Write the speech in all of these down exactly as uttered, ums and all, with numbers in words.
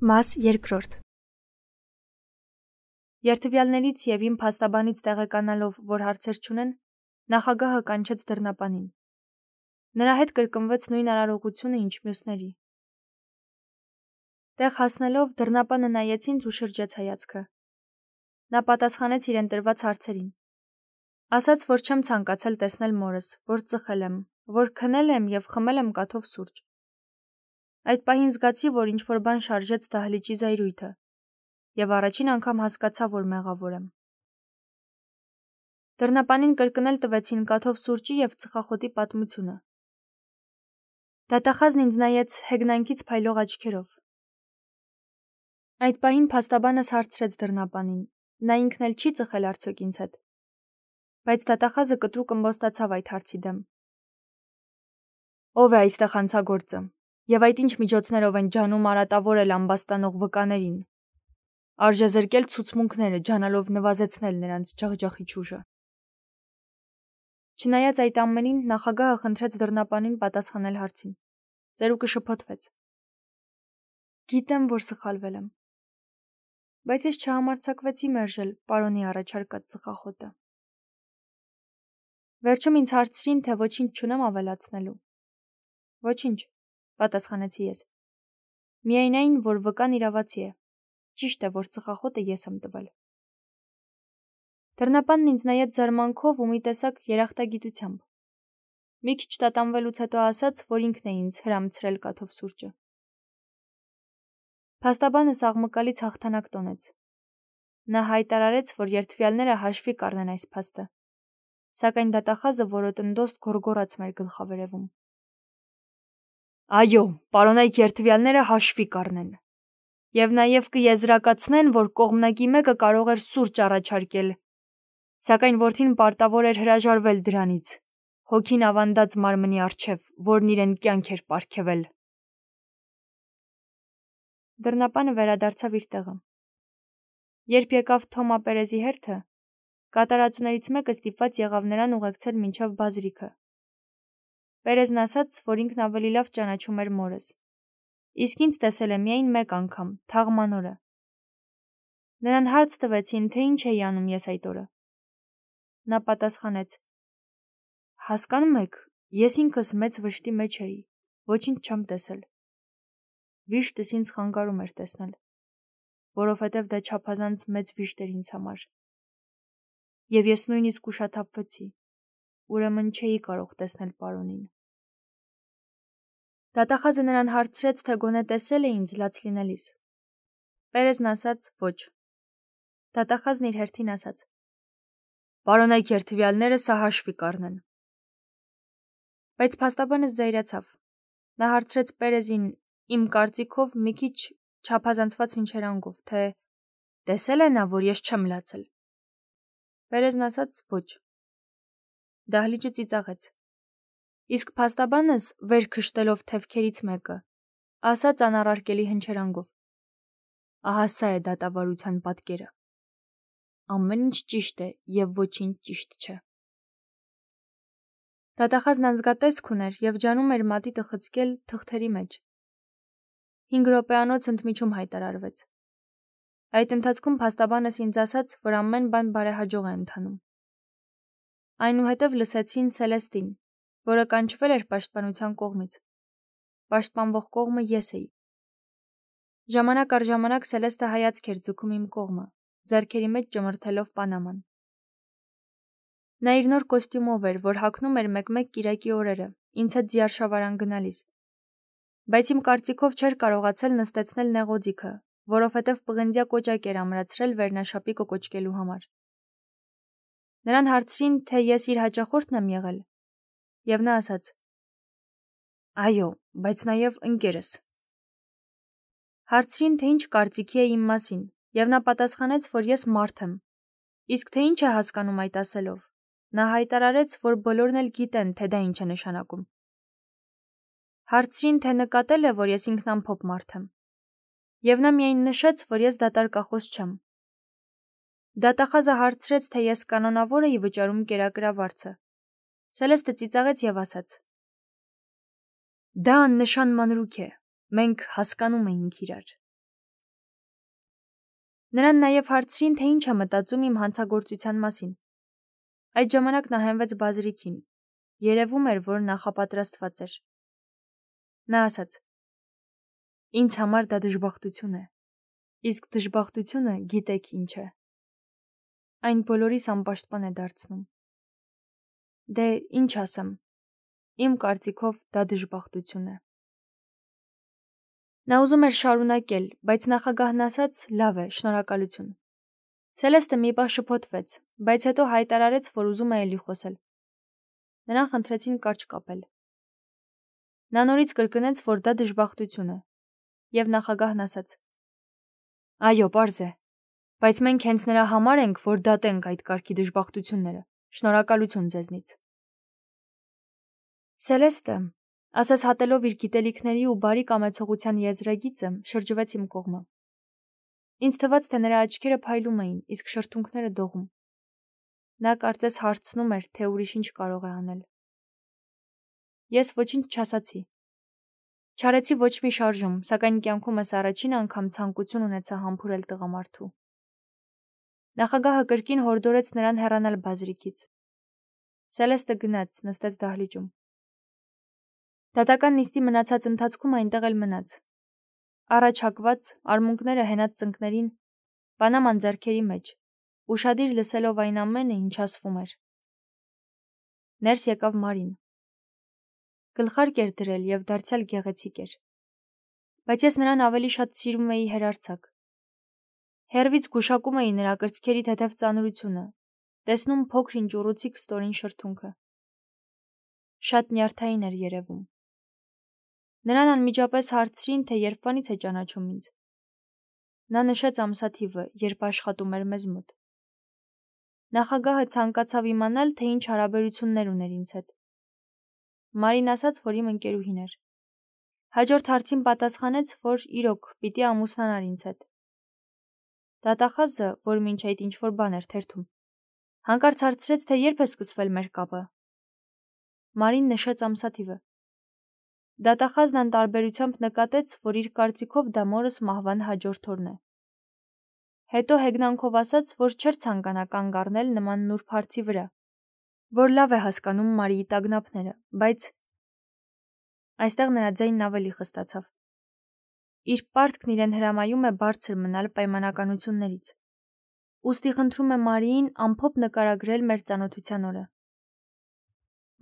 Մաս երկրորդ Երթվյալներից և իմ փաստաբանից տեղեկանալով, որ հարցեր չունեն, նախագահը կանչեց դռնապանին։ Նրա հետ կրկնվեց նույն արարողությունը, ինչ մյուսների։ Տեղ հասնելով դռնապանը նայեց ինձ ու շրջեց հայացքը։ Նա պատասխանեց իրեն տրված հարցերին։ Ասաց, որ չեմ ցանկացել տեսնել մորս, որ ծխել եմ, որ քնել եմ և խմել եմ կաթով սուրճ։ Այդ պահին զգացի, որ ինչ-որ բան շարժեց դահլիճի զայրույթը, և առաջին անգամ հասկացա, որ մեղավոր եմ։ Դռնապանին կրկնել տվեցին կաթով սուրճի և ծխախոտի պատմությունը։ Դատախազն ինձ նայեց հեգնանքից փայլող աչքերով։ Այդ պահին փաստաբանս հարցրեց դռնապանին, նա ինքն էլ չի ծխել արդյոք ինձ հետ։ Բայց դատախազը կտրուկ ըմբոստացավ այդ հարցի դեմ։ Ո՞վ է այստեղ հանցագործը, և այդ ինչ միջոցներով են ջանում արատավորել ամբաստանող վկաներին, արժեզրկել ցուցմունքները, ջանալով նվազեցնել նրանց ջախջախիչ ուժը։ Չնայած այդ ամենին, նախագահը խնդրեց դռնապանին պատասխանել հարցին։ Ծերուկը շփոթվեց։ Գիտեմ, որ սխալվել եմ, բայց ես չհամարձակվեցի մերժել պարոնի առաջարկած ծխախոտը։ Վերջում ինձ հարցրին, թե ոչինչ չունեմ ավելացնելու։ Ոչինչ, պատասխանեցի ես։ Միայն այն, որ վկան իրավացի է։ Ճիշտ է, որ ծխախոտը ես եմ տվել։ Դռնապանն ինձ նայեց զարմանքով ու մի տեսակ երախտագիտությամբ։ Մի քիչ տատանվելուց հետո ասաց, որ ինքն է ինձ հրամցրել կաթով սուրճը։ Փաստաբանս աղմկալից հաղթանակ տոնեց։ Նա հայտարարեց, որ երթվյալները հաշվի կառնեն այս փաստը, սակայն դատախազը որոտնդոստ գոռգոռաց մեր գլխավերևում։ Այո, պարոնայք երթվյալները հաշվի կառնեն։ Եվ նաև կեզրակացնեն, որ կողմնակի մեկը կարող էր սուրճ առաջարկել, սակայն որդին պարտավոր էր հրաժարվել դրանից, հոգին ավանդած մարմնի առջև, որն իրեն կյանք էր պարգևել։ Դռնապանը վերադարձավ իր տեղը։ Երբ եկավ Թոմա Պերեզի հերթը, կատարածուներից մեկը ստիպված եղավ նրան ուղեկցել մինչև բազրիքը։ Պերեզն ասաց, որ ինքն ավելի լավ ճանաչում էր մորս, իսկ ինձ տեսել է միայն մեկ անգամ, թաղման օրը։ Նրան հարց տվեցին, թե ինչ էի անում ես այդ օրը։ Նա պատասխանեց. Հասկանում եք, ես ինքս մեծ վշտի մեջ էի, ոչինչ չեմ տեսել։ Վիշտս ինձ խանգարում էր տեսնել, որովհետև դա չափազանց մեծ վիշտ էր ինձ համար։ Եվ ես նույնիսկ ուշաթափվեցի, ուրեմն չէի կարող տեսնել պարոնին։ Դատախազը նրան հարցրեց, թե գոնե տեսել է ինձ լաց լինելիս։ Պերեզն ասաց ոչ։ Դատախազն իր հերթին ասաց. Պարոնայք երթվյալները սա հաշվի կառնեն։ Բայց փաստաբանը զայրացավ։ Նա հարցրեց Պերեզին, իմ կարծիքով մի քիչ չափազանցված հնչերանգով, թե տեսել է նա, որ ես չեմ լացել։ Պերեզն ասաց ոչ։ Դահլիճը ծիծաղեց։ Իսկ փաստաբանս, վեր քշտելով թևքերից մեկը, ասաց անառարկելի հնչերանգով. Ահա սա է դատավարության պատկերը։ Ամեն ինչ ճիշտ է և ոչինչ ճիշտ չէ։ Դատախազն անզգատեսք ուներ և ջանում էր մատիտը խցկել թղթերի մեջ։ Հինգ րոպեանոց ընդմիջում հայտարարվեց։ Այդ ընթացքում փաստաբանս ինձ ասաց, որ ամեն բան բարեհաջող է ընթանում։ Այնուհետև լսեցին Սելեստին, որը կանչվել էր պաշտպանության կողմից։ Պաշտպանվող կողմը ես էի։ Ժամանակ առ ժամանակ Սելեստը հայացք էր ձգում իմ կողմը, ձեռքերի մեջ ճմրթելով պանաման։ Նա իր նոր կոստյումով էր, որ հագնում էր մեկ-մեկ կիրակի օրերը, ինձ հետ ձիարշավարան գնալիս։ Բայց իմ կարծիքով չէր կարողացել նստեցնել նեղոձիգը, որովհետև պղնձյա կոճակ էր ամրացրել վերնաշապի կոկոճկելու համար։ Նրան հարցրին, թե ես իր հաճախորդն եմ եղել, և նա ասաց. Այո, բայց նաև ընկերս։ Հարցրին, թե ինչ կարծիքի է իմ մասին, և նա պատասխանեց, որ ես մարդ եմ, իսկ թե ինչ է հասկանում այդ ասելով, նա հայտարարեց, որ բոլորն էլ գիտեն, թե դա ինչ է նշանակում։ Հարցրին, թե նկատել է, որ ես ինքնամփոփ մարդ եմ, և նա միայն նշեց, որ ես դատարկախոս չեմ։ Դատախազը հարցրեց, թե ես կանոնավոր էի վճարում կերակրավարձը։ Սելեստը ծիծաղեց և ասաց. Դա աննշան մանրուք է, մենք հասկանում էինք իրար։ Նրան նաև հարցրին, թե ինչ է մտածում իմ հանցագործության մասին։ Այդ ժամանակ նա հենվեց բազրիքին։ Երևում էր, որ նախապատրաստված էր։ Նա ասաց. «Ինձ համար դա դժբախտություն է, իսկ դժբախտությունը գիտեք ինչ է։ Այն բոլորիս անպաշտպան է դարձնում։ Դե ինչ ասեմ, իմ կարծիքով դա դժբախտություն է»։ Նա ուզում էր շարունակել, բայց նախագահն ասաց. «Լավ է, շնորհակալություն»։ Սելեստը մի պահ շփոթվեց, բայց հետո հայտարարեց, որ ուզում է էլի խոսել։ Նրան խնդրեցին կարճ կապել։ Նա նորից կրկնեց, որ դա դժբախտություն է, եւ նախագահն ասաց. «Այո, պարզ է, բայց մենք հենց նրա համար ենք, որ դատենք այդ կարգի դժբախտությունները։ Շնորհակալություն ձեզնից»։ Սելեստը, ասես հատելով իր գիտելիքների ու բարի կամեցողության եզրագիծը, շրջվեց իմ կողմը։ Ինձ թվաց, թե նրա աչքերը փայլում էին, իսկ շրթունքները դողում։ Նա կարծես հարցնում էր, թե ուրիշ ինչ կարող է անել։ Ես ոչինչ չասացի։ Չարեցի ոչ մի շարժում, սակայն կյանքումս առաջին անգամ ցանկություն ունեցա համբուրել տղամարդու։ Նախագահը կրկին հորդորեց նրան հեռանալ բազրիքից։ Սելեստը գնաց, նստեց դահլիճում։ Դատական նիստի մնացած ընթացքում այնտեղ էլ մնաց։ Առաջ հակված, արմունկները հենած ծնկներին, պանաման ձեռքերի մեջ, ուշադիր լսելով այն ամենը, ինչ ասվում էր։ Ներս եկավ Մարին։ Գլխարկ էր դրել եւ դարձյալ գեղեցիկ էր։ Բայց ես նրան ավելի շատ սիրում էի հերարցակ։ Հեռվից գուշակում էի նրա կրծքերի թեթև ծանրությունը, տեսնում փոքր-ինչ ուռուցիկ ստորին շրթունքը։ Շատ նյարդային էր երևում։ Նրան անմիջապես հարցրին, թե երբվանից է ճանաչում ինձ։ Նա նշեց ամսաթիվը, երբ աշխատում էր մեզ մոտ։ Նախագահը ցանկացավ իմանալ, թե ինչ հարաբերություններ ուներ ինձ հետ։ Մարին ասաց, որ իմ ընկերուհին էր։ Հաջորդ հարցին պատասխանեց, որ իրոք պիտի ամուսնանար ինձ հետ։ Դատախազը, որ մինչ այդ ինչ-որ բան էր թերթում, հանկարծ հարցրեց, թե երբ է սկսվել մեր կապը։ Մարին նշեց ամսաթիվը։ Դատախազն անտարբերությամբ նկատեց, որ իր կարծիքով դա մորս մահվան հաջորդ օրն է։ Հետո հեգնանքով ասաց, որ չէր ցանկանա կանգ առնել նման նուրբ հարցի վրա, որ լավ է հասկանում Մարիի տագնապները, բայց այստեղ նրա ձայնն ավելի խստացավ։ Իր պարտքն իրեն հրամայում է բարձր մնալ պայմանականություններից։ Ուստի խնդրում է Մարիին ամփոփ նկարագրել մեր ծանոթության օրը։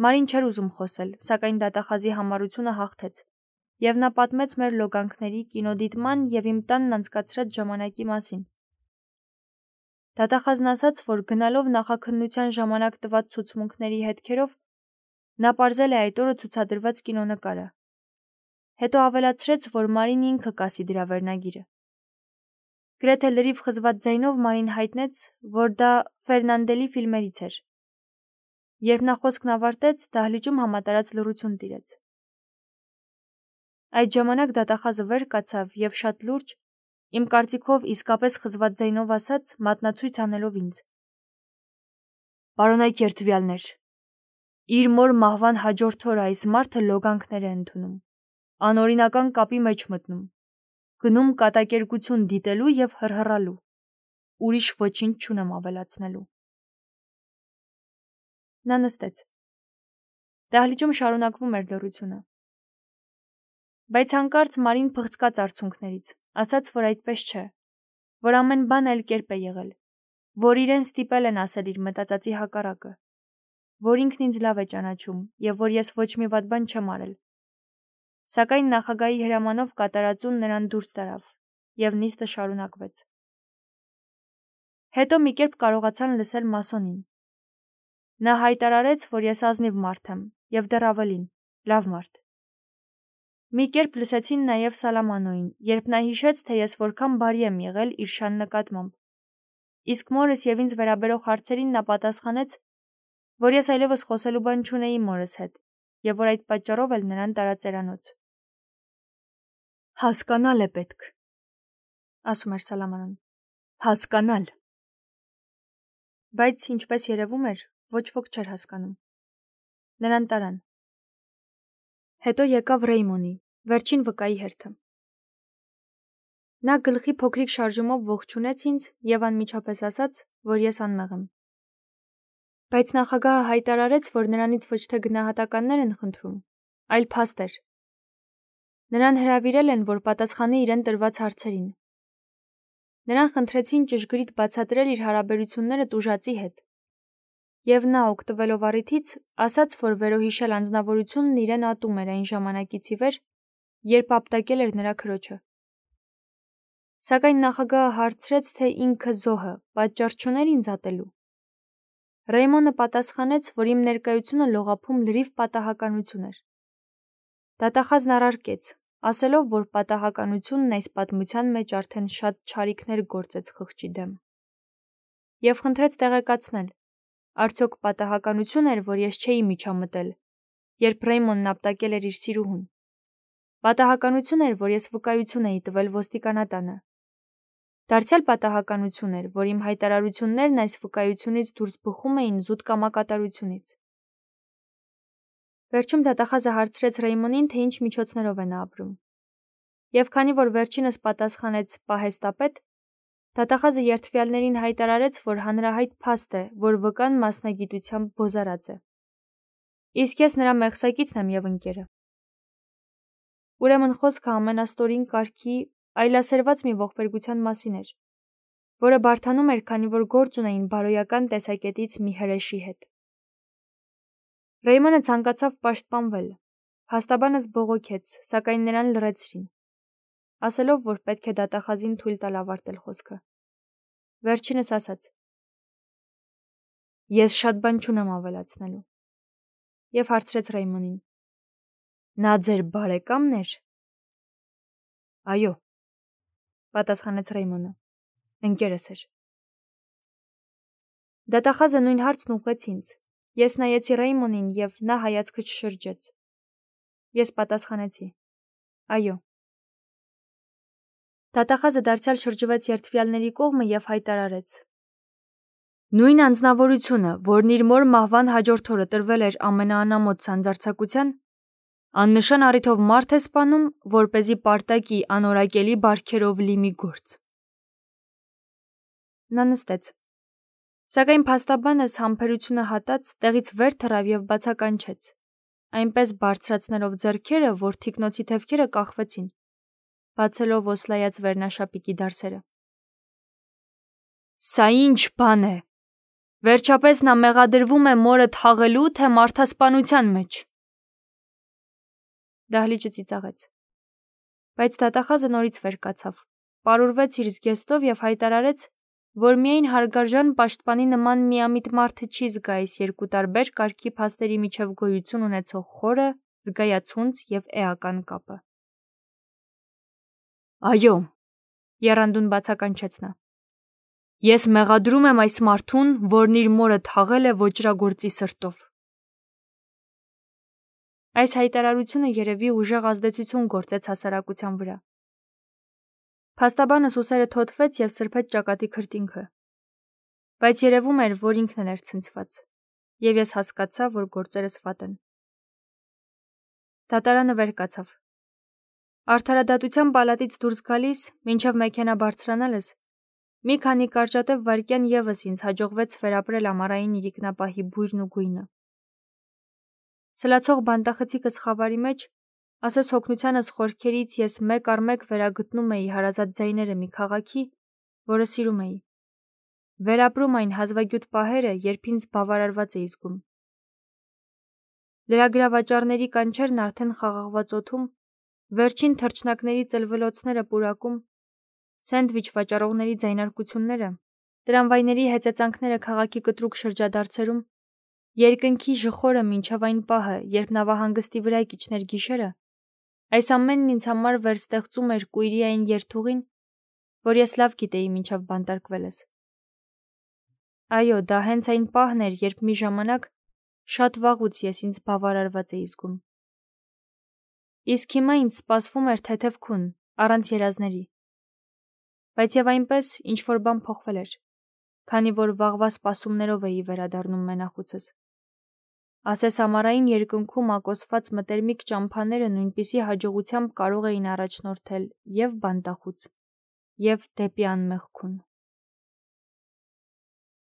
Մարին չէր ուզում խոսել, սակայն դատախազի համառությունը հաղթեց, եւ նա պատմեց մեր լոգանքների, կինոդիտման եւ իմ տանն անցկացրած ժամանակի մասին։ Դատախազն ասաց, որ գնալով նախաքննության ժամանակ տված ցուցմունքների հետքերով նա պարզել է այդ օրը ցուցադրված կինոնկարը։ Հետո ավելացրեց, որ Մարին ինքը կասի դրա վերնագիրը։ Գրեթե լրիվ խզված ձայնով Մարին հայտնեց, որ դա Ֆերնանդելի ֆիլմերից էր։ Երբ նա խոսքն ավարտեց, դահլիճում համատարած լռություն տիրեց։ Այդ ժամանակ դատախազը վեր կացավ եւ շատ լուրջ, իմ կարծիքով իսկապես խզված ձայնով ասաց, մատնացույց անելով ինձ. «Պարոնայք երդվյալներ, իր մոր մահվան հաջորդ օրը այս մարդը լոգանքներ է ընդունում, անօրինական կապի մեջ մտնում, գնում կատակերգություն դիտելու եւ հռհռալու, ուրիշ ոչինչ չունեմ ավելացնելու»։ Նա նստեց։ Դահլիճում շարունակվում էր լռությունը։ Բայց հանկարծ Մարին փղծկաց արցունքներից, ասաց, որ այդպես չէ, որ ամեն բան այլ կերպ է եղել, որ իրեն ստիպել են ասել իր մտածածի հակառակը, որ ինքն ինձ լավ է ճանաչում եւ որ ես ոչ մի վատ բան չեմ արել։ Սակայն նախագահի հրամանով կատարածուն նրան դուրս տարավ եւ նիստը շարունակվեց։ Հետո մի կերպ կարողացան լսել Մասոնին։ Նա հայտարարեց, որ ես ազնիվ մարդ եմ եւ դեռ ավելին, լավ մարդ։ Մի կերպ լսեցին նաեւ Սալամանոին, երբ նա հիշեց, թե ես որքան բարի եմ եղել իր շան նկատմամբ։ Իսկ մորս եւ ինձ վերաբերող հարցերին նա պատասխանեց, որ ես այլևս խոսելու բան չունեի մորս հետ եւ որ այդ պատճառով էլ նրան տարածերանոց։ Հասկանալ է պետք, ասում էր Սալամանոն։ Հասկանալ։ Բայց ինչպես երևում էր, ոչ ոք չէր հասկանում։ Նրան տարան։ Հետո եկավ Ռեյմոնի, վերջին վկայի հերթը։ Նա գլխի փոքրիկ շարժումով ողջունեց ինձ և անմիջապես ասաց, որ ես անմեղ եմ։ Բայց նախագահը հայտարարեց, որ նրանից ոչ թե գնահատականներ են խնդրում, այլ փաստեր։ Նրան հրավիրել են, որ պատասխանի իրեն տրված հարցերին։ Նրան խնդրեցին ճշգրիտ բացատրել իր հարաբերությունները տուժածի հետ։ Եվ նա, օգտվելով առիթից, ասաց, որ վերոհիշյալ անձնավորությունն իրեն ատում էր այն ժամանակից ի վեր, երբ ապտակել էր նրա քրոջը։ Սակայն նախագահը հարցրեց, թե ինքը զոհը պատճառ չուներ ինձ ատելու։ Ռեյմոնը պատասխանեց, որ իմ ներկայությունը լողափում լրիվ պատահականություն էր։ Դատախազն առարկեց, ասելով, որ պատահականությունն այս պատմության մեջ արդեն շատ չարիքներ գործեց խղճի դեմ։ Եվ խնդրեց տեղեկացնել, արդյոք պատահականություն էր, որ ես չէի միջամտել, երբ Ռեյմոնն ապտակել էր իր սիրուհուն։ Պատահականություն էր, որ ես վկայություն էի տվել ոստիկանատանը։ Դարձյալ պատահականություն էր, որ իմ հայտարարություններն այս վկայությունից դուրս բխում էին զուտ կամակատարությունից։ Վերջում դատախազը հարցրեց Ռեյմոնին, թե ինչ միջոցներով է նա ապրում։ Եվ քանի որ վերջինս պատասխանեց պահեստապետ, դատախազը երդվյալներին հայտարարեց, որ հանրահայտ փաստ է, որ վկան մասնագիտությամբ բոզարած է։ Իսկ ես նրա մեղսակիցն եմ և ընկերը։ Ուրեմն խոսքը ամենաստորին կարգի այլասերված մի ողբերգության մասին էր, որը բարդանում էր, քանի որ գործ ունեին բարոյական տեսակետից մի հրեշի հետ։ Ռեյմոնը ցանկացավ պաշտպանվել, փաստաբանս բողոքեց, սակայն նրան լռեցրին, ասելով, որ պետք է դատախազին թույլ տալ ավարտել խոսքը։ Վերջինս ասաց. Ես շատ բան չունեմ ավելացնելու։ Եվ հարցրեց Ռեյմոնին. Նա ձեր բարեկամն էր։ Այո, պատասխանեց Ռեյմոնը, ընկերս էր։ Դատախազը նույն հարցն ուղղեց ինձ։ Ես նայեցի Ռեյմոնին և նա հայացքը չշրջեց։ Ես պատասխանեցի. Այո։ Դատախազը դարձյալ շրջվեց երդվյալների կողմը և հայտարարեց. Նույն անձնավորությունը, որն իր մոր մահվան հաջորդ օրը տրվել էր ամենաանամոթ սանձարձակության, աննշան առիթով մարդ է սպանում, որպեսզի պարտակի անորակելի բարքերով լի մի գործ։ Նա նստեց։ Սակայն փաստաբանս համբերությունը հատած տեղից վեր թռավ և բացականչեց, այնպես բարձրացնելով ձեռքերը, որ թիկնոցի թևքերը կախվեցին, բացելով օսլայած վերնաշապիկի դարսերը։ Սա ինչ բան է։ Վերջապես նա մեղադրվում է մորը թաղելու, թե մարդասպանության մեջ։ Դահլիճը ծիծաղեց։ Բայց դատախազը նորից վեր կացավ, պարուրվեց իր զգեստով և հայտարարեց, որ միայն հարգարժան պաշտպանի նման միամիտ մարդը չի զգա այս երկու տարբեր կարգի փաստերի միջև գոյություն ունեցող խորը, զգայացունց և էական կապը։ Այո, եռանդուն բացականչեց նա։ Ես մեղադրում եմ այս մարդուն, որն իր մորը թաղել է ոճրագործի սրտով։ Այս հայտարարությունը երևի ուժեղ ազդեցություն գործեց հասարակության վրա։ Փաստաբանս ուսերը թոթվեց և սրբեց ճակատի քրտինքը։ Բայց երևում էր, որ ինքն էր ցնցված, և ես հասկացա, որ գործերս վատ են։ Դատարանը վեր կացավ։ Արդարադատության պալատից դուրս գալիս, մինչև մեքենա բարձրանալս, մի քանի կարճատև վայրկյան ևս ինձ հաջողվեց վերապրել ամառային իրիկնապահի բույրն ու գույնը։ Սլացող բանտախցիկս խավարի մեջ, ասես հոգնությանս խորքերից ես մեկ առ մեկ վերագտնում էի հարազատ ձայները մի քաղաքի, որը սիրում էի։ Վերապրում այն հազվագյուտ պահերը, երբ ինձ բավարարված էի զգում։ Լրագրավաճառների կանչերն արդեն խաղաղված օդում, վերջին թռչնակների ծլվլոցները պուրակում, սենդվիչ վաճառողների ձայնարկությունները, տրամվայների հեծեծանքները քաղաքի կտրուկ շրջադարձերում, երկնքի ժխորը մինչև այն պահը, երբ նավահանգստի վրա կիջներ գիշերը, այս ամենն ինձ համար վերստեղծում էր կույրի այն երթուղին, որ ես լավ գիտեի մինչև բանտարկվելս։ Այո, դա հենց այն պահն էր, երբ մի ժամանակ շատ վաղուց ես ինձ բավարարված էի զգում։ Իսկ հիմա ինձ սպասվում էր թեթև քուն, առանց երազների։ Բայց եւ այնպես ինչ-որ բան փոխվել էր, քանի որ վաղվա սպասումներով էի վերադառնում մենախուցս։ Ասես ամառային երկնքում ակոսված մտերմիկ ճամփաները նույնպիսի հաջողությամբ կարող էին առաջնորդել եւ բանտախուց, և դեպի անմեղքուն։